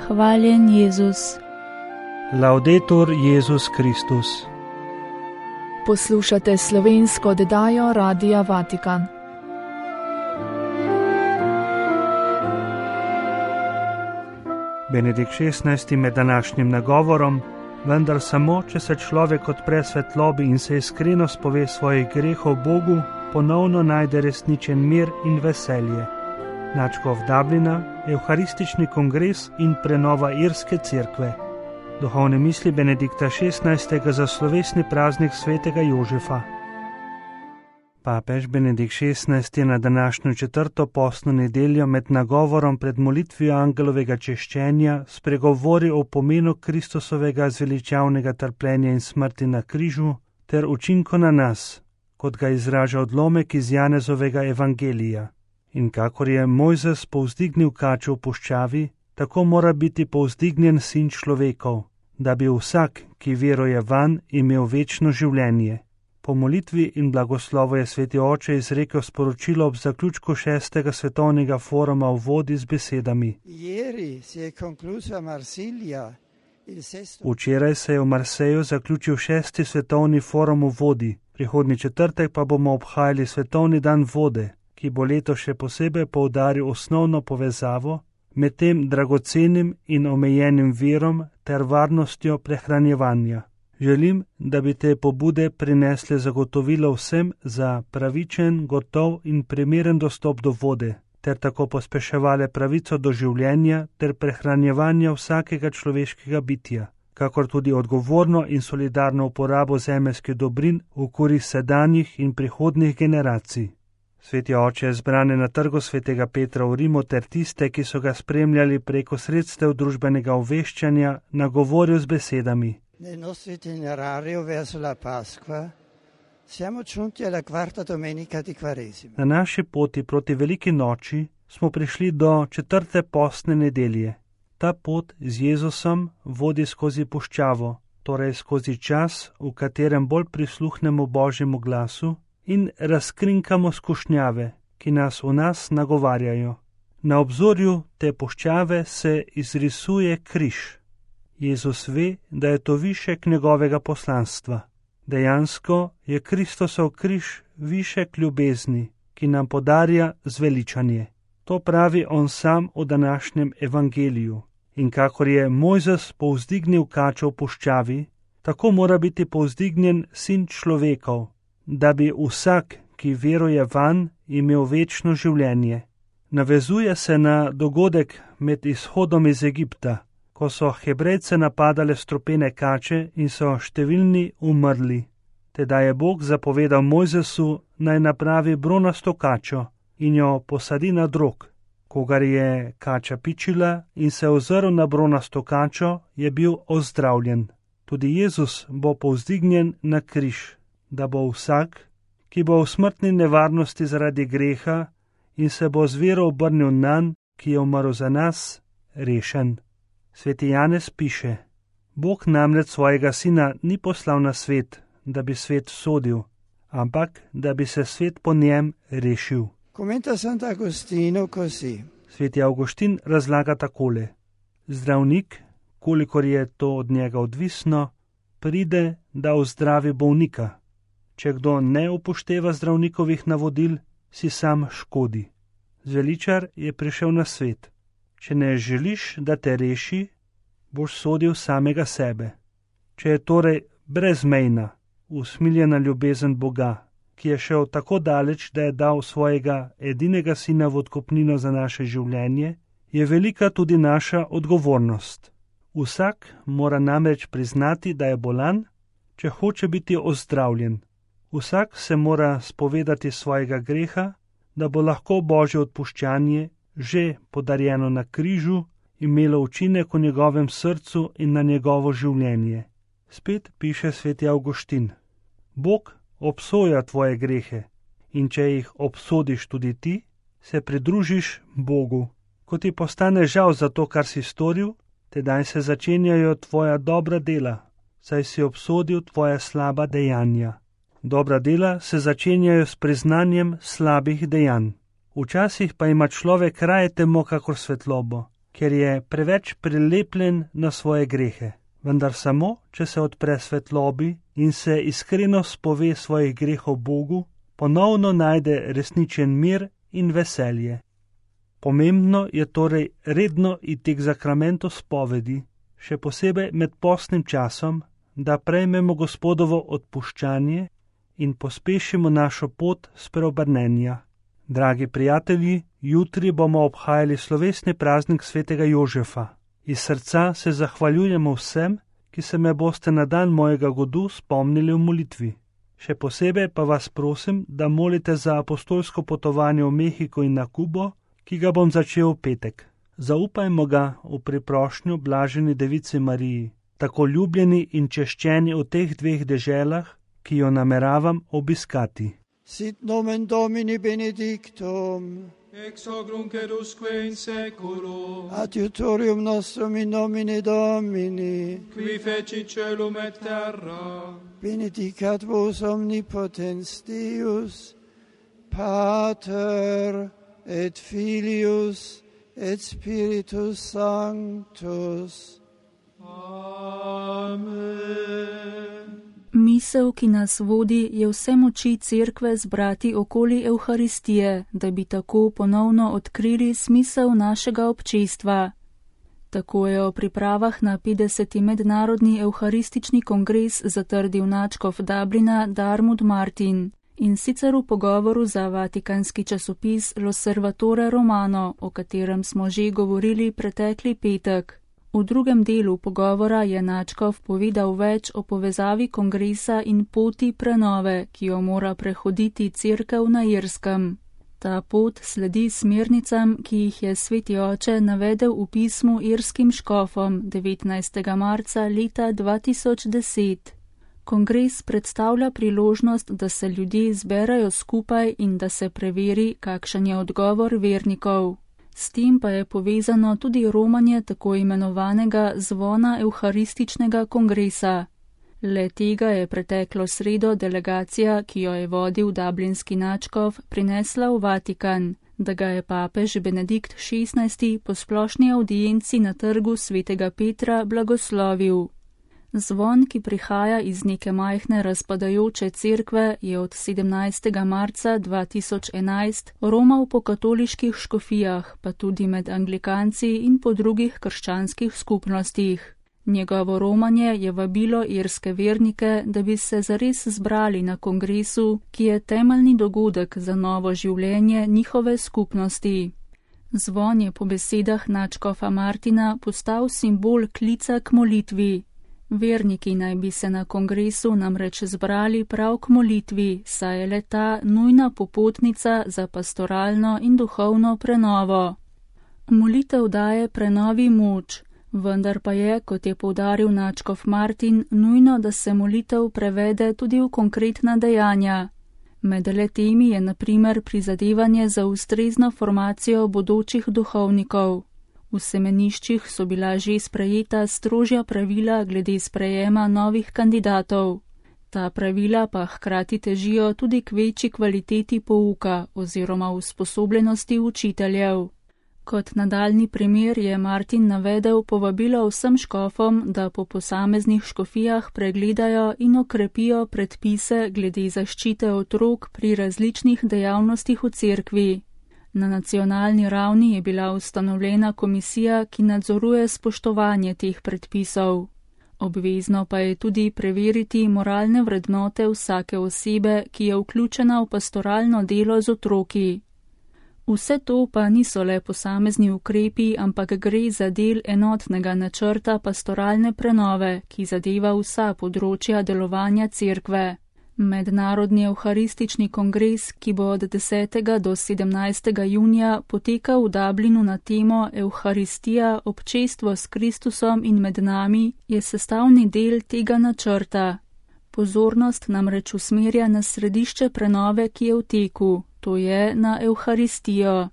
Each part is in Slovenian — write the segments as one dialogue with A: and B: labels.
A: Hvaljen Jezus.
B: Laudetur Jezus Kristus.
C: Poslušate slovensko oddajo Radia Vatikan.
B: Benedikt XVI med današnjim nagovorom, vendar samo, če se človek odpre svetlobi in se iskreno spove svojih grehov Bogu, ponovno najde resničen mir in veselje. Nadškof Dublina, Evharistični kongres in prenova Irske cerkve. Duhovne misli Benedikta XVI za slovesni praznik svetega Jožefa. Papež Benedikt XVI je na današnjo četrto postno nedeljo med nagovorom pred molitvijo angelovega češčenja spregovoril o pomenu Kristusovega zveličavnega trpljenja in smrti na križu ter učinku na nas, kot ga izraža odlomek iz Janezovega evangelija. In kakor je Mojzes povzdignil kačo v puščavi, tako mora biti povzdignjen sin človekov, da bi vsak, ki veruje vanj, imel večno življenje. Po molitvi in blagoslovu je sveti oče izrekel sporočilo ob zaključku 6. svetovnega foruma v vodi z besedami. Včeraj se je v Marseju zaključil 6. svetovni forum v vodi, prihodnji četrtek pa bomo obhajali svetovni dan vode, ki bo letos še posebej poudaril osnovno povezavo med tem dragocenim in omejenim virom ter varnostjo prehranjevanja. Želim, da bi te pobude prinesle zagotovilo vsem za pravičen, gotov in primeren dostop do vode, ter tako pospeševale pravico do življenja ter prehranjevanja vsakega človeškega bitja, kakor tudi odgovorno in solidarno uporabo zemeljskih dobrin v korist sedanjih in prihodnjih generacij. Sveti oče je zbrane na trgu svetega Petra v Rimu ter tiste, ki so ga spremljali preko sredstev družbenega obveščanja, nagovoril z besedami.
D: Nel nostro itinerario verso la Pasqua siamo giunti alla quarta domenica di Quaresima.
B: Na naši poti proti veliki noči smo prišli do četrte postne nedelje. Ta pot z Jezusom vodi skozi puščavo, torej skozi čas, v katerem bolj prisluhnemo Božjemu glasu in razkrinkamo skušnjave, ki nas v nas nagovarjajo. Na obzorju te puščave se izrisuje križ. Jezus ve, da je to višek njegovega poslanstva. Dejansko je Kristusov križ višek ljubezni, ki nam podarja zveličanje. To pravi on sam v današnjem evangeliju. In kakor je Mojzes povzdignil kačo v puščavi, tako mora biti povzdignjen sin človekov, da bi vsak, ki veruje vanj, imel večno življenje. Navezuje se na dogodek med izhodom iz Egipta, ko so Hebrejce napadale strupene kače in so številni umrli. Tedaj je Bog zapovedal Mojzesu, naj napravi bronasto kačo in jo posadi na drog. Kogar je kača pičila in se ozrl na bronasto kačo, je bil ozdravljen. Tudi Jezus bo povzdignjen na križ, da bo vsak, ki bo v smrtni nevarnosti zaradi greha in se bo z vero obrnil nanj, ki je umrl za nas, rešen. Sveti Janez piše: Bog namreč svojega sina ni poslal na svet, da bi svet sodil, ampak da bi se svet po njem rešil.
D: Commenta Sant'Agostino così.
B: Sveti Avguštin razlaga takole: Zdravnik, kolikor je to od njega odvisno, pride, da ozdravi bolnika. Če kdo ne upošteva zdravnikovih navodil, si sam škodi. Zveličar je prišel na svet. Če ne želiš, da te reši, boš sodil samega sebe. Če je torej brezmejna, usmiljena ljubezen Boga, ki je šel tako daleč, da je dal svojega edinega sina v odkupnino za naše življenje, je velika tudi naša odgovornost. Vsak mora namreč priznati, da je bolan, če hoče biti ozdravljen. Vsak se mora spovedati svojega greha, da bo lahko Božje odpuščanje, že podarjeno na križu, imelo učinek v njegovem srcu in na njegovo življenje. Spet piše sveti Avguštin: Bog obsoja tvoje grehe in če jih obsodiš tudi ti, se pridružiš Bogu. Ko ti postane žal za to, kar si storil, tedaj se začenjajo tvoja dobra dela, saj si obsodil tvoja slaba dejanja. Dobra dela se začenjajo s priznanjem slabih dejanj. Včasih pa ima človek raje temo kakor svetlobo ker je preveč prilepljen na svoje grehe. Vendar samo, če se odpre svetlobi in se iskreno spove svojih grehov Bogu, ponovno najde resničen mir in veselje. Pomembno je torej redno iti k zakramentu spovedi, še posebej med postnim časom, da prejmemo Gospodovo odpuščanje in pospešimo našo pot spreobrnenja. Dragi prijatelji, jutri bomo obhajali slovesni praznik svetega Jožefa. Iz srca se zahvaljujemo vsem, ki se me boste na dan mojega godu spomnili v molitvi. Še posebej pa vas prosim, da molite za apostolsko potovanje v Mehiko in na Kubo, ki ga bom začel v petek. Zaupajmo ga v priprošnjo blaženi Devici Mariji, tako ljubljeni in češčeni v teh dveh deželah, ki jo nameravam obiskati.
D: Sit nomen Domini benedictum,
A: ex hoc nunc et usque in seculo,
D: adiutorium nostrum in nomine Domini,
A: qui feci celum et terra,
D: benedicat vos omnipotens Deus, Pater et Filius et Spiritus Sanctus.
A: Amen.
C: Misel, ki nas vodi, je vse moči cerkve zbrati okoli Evharistije, da bi tako ponovno odkrili smisel našega občestva. Tako je o pripravah na 50. mednarodni evharistični kongres zatrdil nadškof Dublina Diarmuid Martin. In sicer v pogovoru za vatikanski časopis L'Osservatore Romano, o katerem smo že govorili pretekli petek. V drugem delu pogovora je nadškof povedal več o povezavi kongresa in poti prenove, ki jo mora prehoditi cerkev na Irskem. Ta pot sledi smernicam, ki jih je sveti oče navedel v pismu irskim škofom 19. marca leta 2010. Kongres predstavlja priložnost, da se ljudje zberajo skupaj in da se preveri, kakšen je odgovor vernikov. S tem pa je povezano tudi romanje tako imenovanega zvona evharističnega kongresa. Le tega je preteklo sredo delegacija, ki jo je vodil dublinski nadškof, prinesla v Vatikan, da ga je papež Benedikt XVI po splošni avdienci na trgu svetega Petra blagoslovil. Zvon, ki prihaja iz neke majhne razpadajoče cerkve, je od 17. marca 2011 romal po katoliških škofijah, pa tudi med anglikanci in po drugih krščanskih skupnostih. Njegovo romanje je vabilo irske vernike, da bi se zares zbrali na kongresu, ki je temeljni dogodek za novo življenje njihove skupnosti. Zvon je po besedah nadškofa Martina postal simbol klica k molitvi. Verniki naj bi se na kongresu namreč zbrali prav k molitvi, saj je le ta nujna popotnica za pastoralno in duhovno prenovo. Molitev daje prenovi moč, vendar pa je, kot je poudaril nadškof Martin, nujno, da se molitev prevede tudi v konkretna dejanja. Med le-temi je na primer prizadevanje za ustrezno formacijo bodočih duhovnikov. V semeniščih so bila že sprejeta strožja pravila glede sprejema novih kandidatov. Ta pravila pa hkrati težijo tudi k večji kvaliteti pouka oziroma usposobljenosti učiteljev. Kot nadaljni primer je Martin navedel povabilo vsem škofom, da po posameznih škofijah pregledajo in okrepijo predpise glede zaščite otrok pri različnih dejavnostih v cerkvi. Na nacionalni ravni je bila ustanovljena komisija, ki nadzoruje spoštovanje teh predpisov. Obvezno pa je tudi preveriti moralne vrednote vsake osebe, ki je vključena v pastoralno delo z otroki. Vse to pa niso le posamezni ukrepi, ampak gre za del enotnega načrta pastoralne prenove, ki zadeva vsa področja delovanja cerkve. Mednarodni evharistični kongres, ki bo od 10. do 17. junija potekal v Dublinu na temo Evharistija, občestvo s Kristusom in med nami, je sestavni del tega načrta. Pozornost namreč usmerja na središče prenove, ki je v teku, to je na Evharistijo.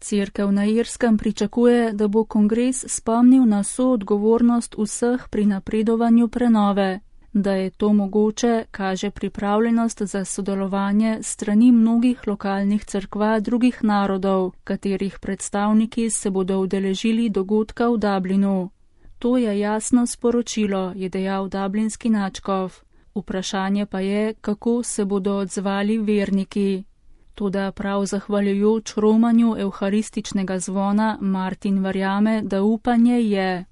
C: Cerkev na Irskem pričakuje, da bo kongres spomnil na soodgovornost vseh pri napredovanju prenove. Da je to mogoče, kaže pripravljenost za sodelovanje strani mnogih lokalnih cerkva drugih narodov, katerih predstavniki se bodo udeležili dogodka v Dublinu. To je jasno sporočilo, je dejal dublinski nadškof. Vprašanje pa je, kako se bodo odzvali verniki. Toda prav zahvaljujoč romanju evharističnega zvona Martin verjame, da upanje je.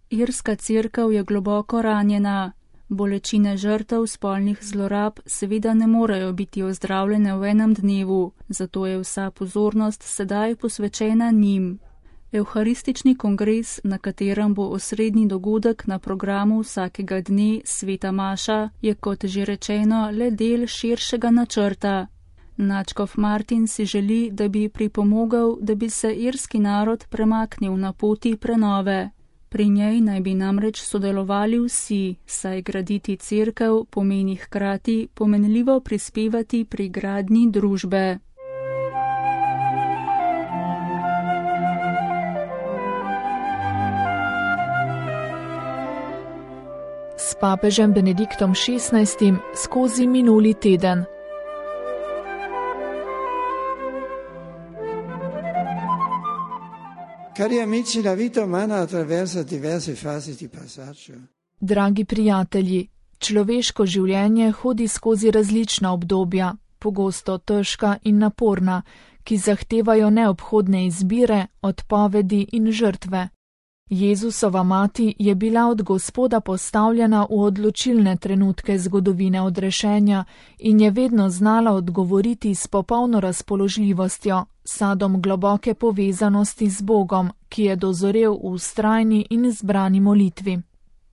C: Irska cerkev je globoko ranjena. Bolečine žrtev spolnih zlorab seveda ne morejo biti ozdravljene v enem dnevu, zato je vsa pozornost sedaj posvečena njim. Evharistični kongres, na katerem bo osrednji dogodek na programu vsakega dne Sveta Maša, je kot že rečeno le del širšega načrta. Nadškof Martin si želi, da bi pripomogel, da bi se irski narod premaknil na poti prenove. Pri njej naj bi namreč sodelovali vsi, saj graditi cerkev pomeni hkrati pomenljivo prispevati pri gradnji družbe.
E: S papežem Benediktom XVI skozi minuli teden.
D: Cari amici, la vita umana attraversa diverse fasi di passaggio.
E: Dragi prijatelji, človeško življenje hodi skozi različna obdobja, pogosto težka in naporna, ki zahtevajo neobhodne izbire, odpovedi in žrtve. Jezusova mati je bila od Gospoda postavljena v odločilne trenutke zgodovine odrešenja in je vedno znala odgovoriti s popolno razpoložljivostjo, sadom globoke povezanosti z Bogom, ki je dozorel v vztrajni in zbrani molitvi.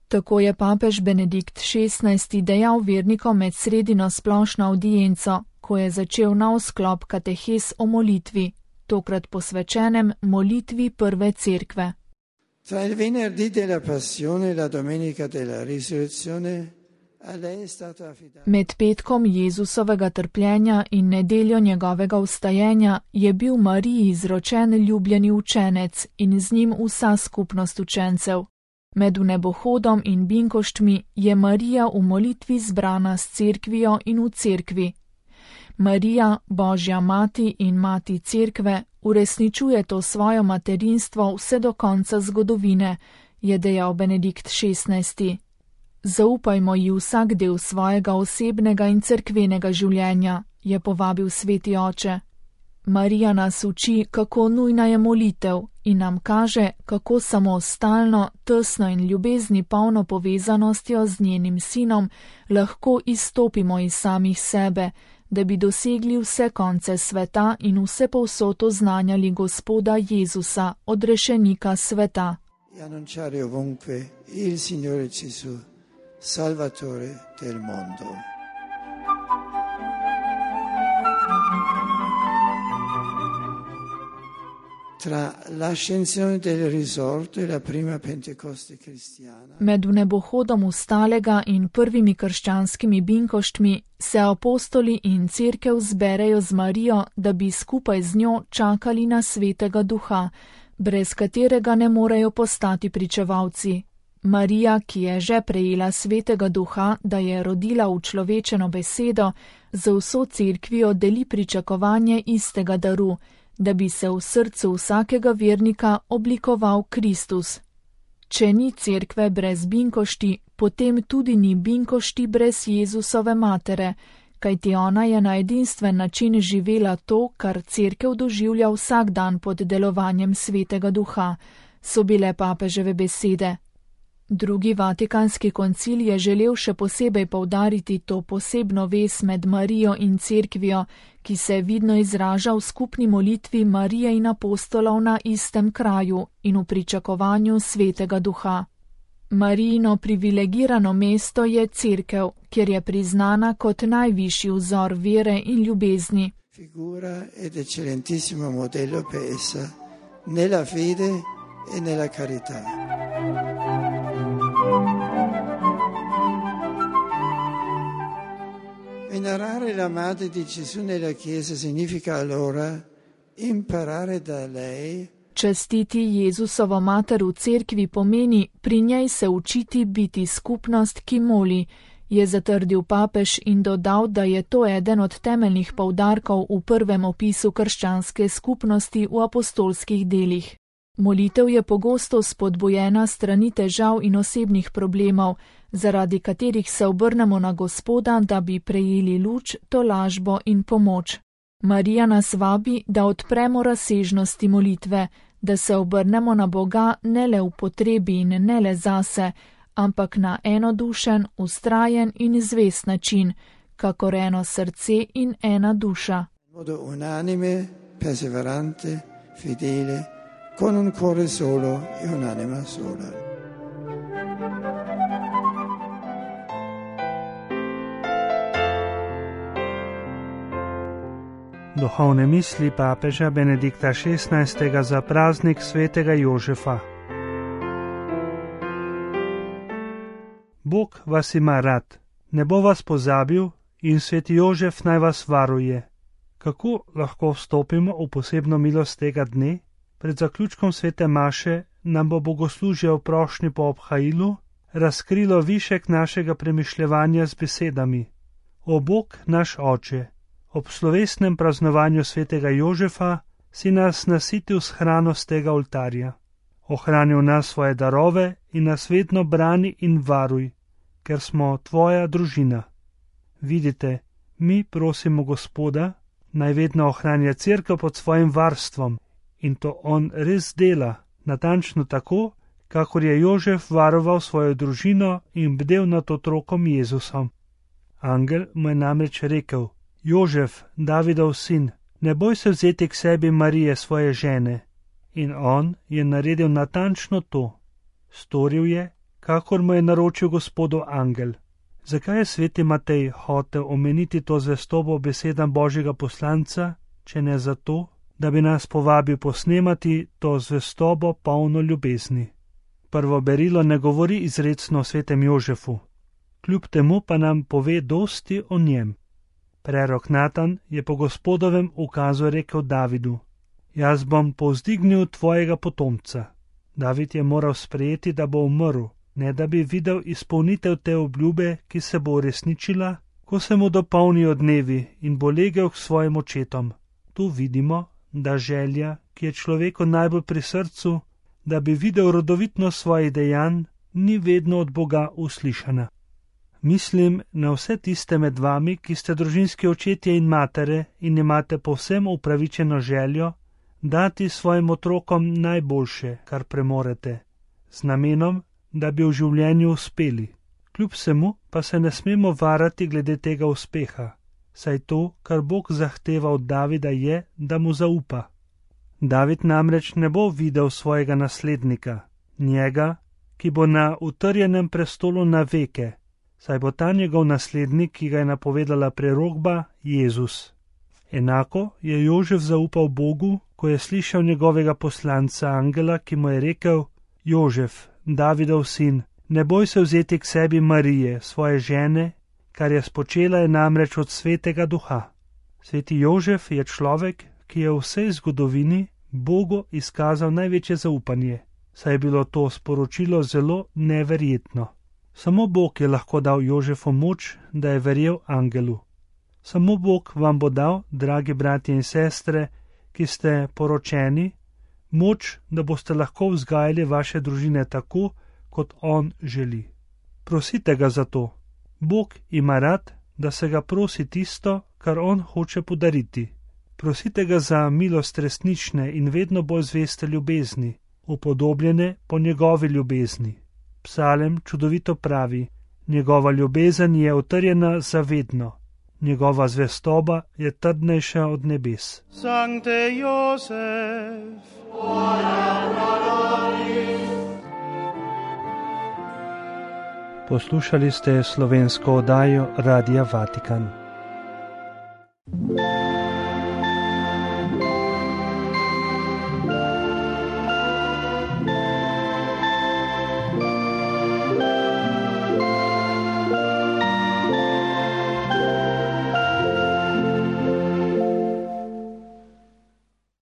E: Tako je papež Benedikt XVI dejal vernikom med sredino splošno audienco, ko je začel nov sklop katehes o molitvi, tokrat posvečenem molitvi prve cerkve.
D: Tra il venerdì della passione e la domenica della risurrezione a lei è stato affidato.
E: Med petkom Jezusovega trpljenja in nedeljo njegovega vstajenja je bil Mariji izročen ljubljeni učenec in z njim vsa skupnost učencev. Med vnebohodom in binkoštmi je Marija v molitvi zbrana s cerkvijo in v cerkvi. Marija, Božja mati in mati cerkve, uresničuje to svojo materinstvo vse do konca zgodovine, je dejal Benedikt XVI. Zaupajmo ji vsak del svojega osebnega in cerkvenega življenja, je povabil sveti oče. Marija nas uči, kako nujna je molitev in nam kaže, kako samostalno, tesno in ljubezni polno povezanostjo z njenim sinom lahko izstopimo iz samih sebe, da bi dosegli vse konce sveta in vse povsod oznanjali Gospoda Jezusa, odrešenika sveta.
D: E annunciare ovunque il Signore Gesù, Salvatore del mondo. Tra l'ascensione del risorto e la prima Pentecoste cristiana.
E: Med vnebohodom vstalega in prvimi krščanskimi binkoštmi se apostoli in cerkev zberejo z Marijo, da bi skupaj z njo čakali na Svetega Duha, brez katerega ne morejo postati pričevalci. Marija, ki je že prejela Svetega Duha, da je rodila učlovečeno besedo, z vso cerkvijo deli pričakovanje istega daru, da bi se v srcu vsakega vernika oblikoval Kristus. Če ni cerkve brez binkošti, potem tudi ni binkošti brez Jezusove matere, kajti ona je na edinstven način živela to, kar cerkev doživlja vsak dan pod delovanjem Svetega Duha, so bile papeževe besede. Drugi Vatikanski koncil je želel še posebej poudariti to posebno vez med Marijo in cerkvijo, ki se vidno izraža v skupni molitvi Marije in apostolov na istem kraju in v pričakovanju Svetega Duha. Marijino privilegirano mesto je cerkev, kjer je priznana kot najvišji vzor vere in ljubezni.
D: Figura ed eccellentissimo modello per essa nella fede e nella carità. Venerare la Madre di Gesù nella Chiesa significa allora imparare da lei
E: Častiti Jezusovo mater v cerkvi pomeni pri njej se učiti biti skupnost, ki moli, je zatrdil papež in dodal, da je to eden od temeljnih poudarkov v prvem opisu krščanske skupnosti v apostolskih delih. Molitev je pogosto spodbujena strani težav in osebnih problemov, zaradi katerih se obrnemo na Gospoda, da bi prejeli luč, tolažbo in pomoč. Marija nas vabi, da odpremo razsežnosti molitve, da se obrnemo na Boga ne le v potrebi in ne le zase, ampak na enodušen, vztrajen in zvest način, kakor eno srce in ena duša.
D: Modo unanime, perseverante, fidele, con un cuore solo e un'anima sola.
B: Duhovne misli papeža Benedikta XVI. Za praznik svetega Jožefa. Bog vas ima rad, ne bo vas pozabil in sveti Jožef naj vas varuje. Kako lahko vstopimo v posebno milost tega dne? Pred zaključkom svete maše nam bo bogoslužje v prošnji po obhajilu razkrilo višek našega premišljevanja z besedami: O Bog naš Oče, ob slovesnem praznovanju svetega Jožefa si nas nasitil s hrano z tega oltarja. Ohranil nas svoje darove in nas vedno brani in varuj, ker smo tvoja družina. Vidite, mi prosimo Gospoda, naj vedno ohranja cerkev pod svojim varstvom, in to on res dela, natančno tako, kakor je Jožef varoval svojo družino in bdel nad otrokom Jezusom. Angel mu je namreč rekel: Jožef, Davidov sin, ne boj se vzeti k sebi Marije, svoje žene. In on je naredil natančno to. Storil je, kakor mu je naročil Gospodov angel. Zakaj je sveti Matej hotel omeniti to zvestobo besedam Božjega poslanca, če ne zato, da bi nas povabil posnemati to zvestobo polno ljubezni? Prvo berilo ne govori izrecno o svetem Jožefu, kljub temu pa nam pove dosti o njem. Prerok Natan je po Gospodovem ukazu rekel Davidu: Jaz bom povzdignil tvojega potomca. David je moral sprejeti, da bo umrl, ne da bi videl izpolnitev te obljube, ki se bo uresničila, ko se mu dopolnijo dnevi in bo legel k svojim očetom. Tu vidimo, da želja, ki je človeku najbolj pri srcu, da bi videl rodovitnost svojih dejanj, ni vedno od Boga uslišana. Mislim na vse tiste med vami, ki ste družinski očetje in matere in imate povsem upravičeno željo dati svojim otrokom najboljše, kar premorete, z namenom, da bi v življenju uspeli. Kljub vsemu pa se ne smemo varati glede tega uspeha, saj to, kar Bog zahteva od Davida, je, da mu zaupa. David namreč ne bo videl svojega naslednika, njega, ki bo na utrjenem prestolu na veke, saj bo ta njegov naslednik, ki ga je napovedala prerokba, Jezus. Enako je Jožef zaupal Bogu, ko je slišal njegovega poslanca angela, ki mu je rekel: Jožef, Davidov sin, ne boj se vzeti k sebi Marije, svoje žene, kar je spočela je namreč od svetega duha. Sveti Jožef je človek, ki je v vsej zgodovini Bogu izkazal največje zaupanje, saj je bilo to sporočilo zelo neverjetno. Samo Bog je lahko dal Jožefu moč, da je verjel angelu. Samo Bog vam bo dal, dragi bratje in sestre, ki ste poročeni, moč, da boste lahko vzgajali vaše družine tako, kot on želi. Prosite ga za to. Bog ima rad, da se ga prosi tisto, kar on hoče podariti. Prosite ga za milost resnične in vedno bolj zveste ljubezni, upodobljene po njegovi ljubezni. Psalem čudovito pravi: njegova ljubezen je utrjena zavedno, njegova zvestoba je trdnejša od nebes.
A: Sancte Josef,
B: Poslušali ste slovensko oddajo Radia Vatikan.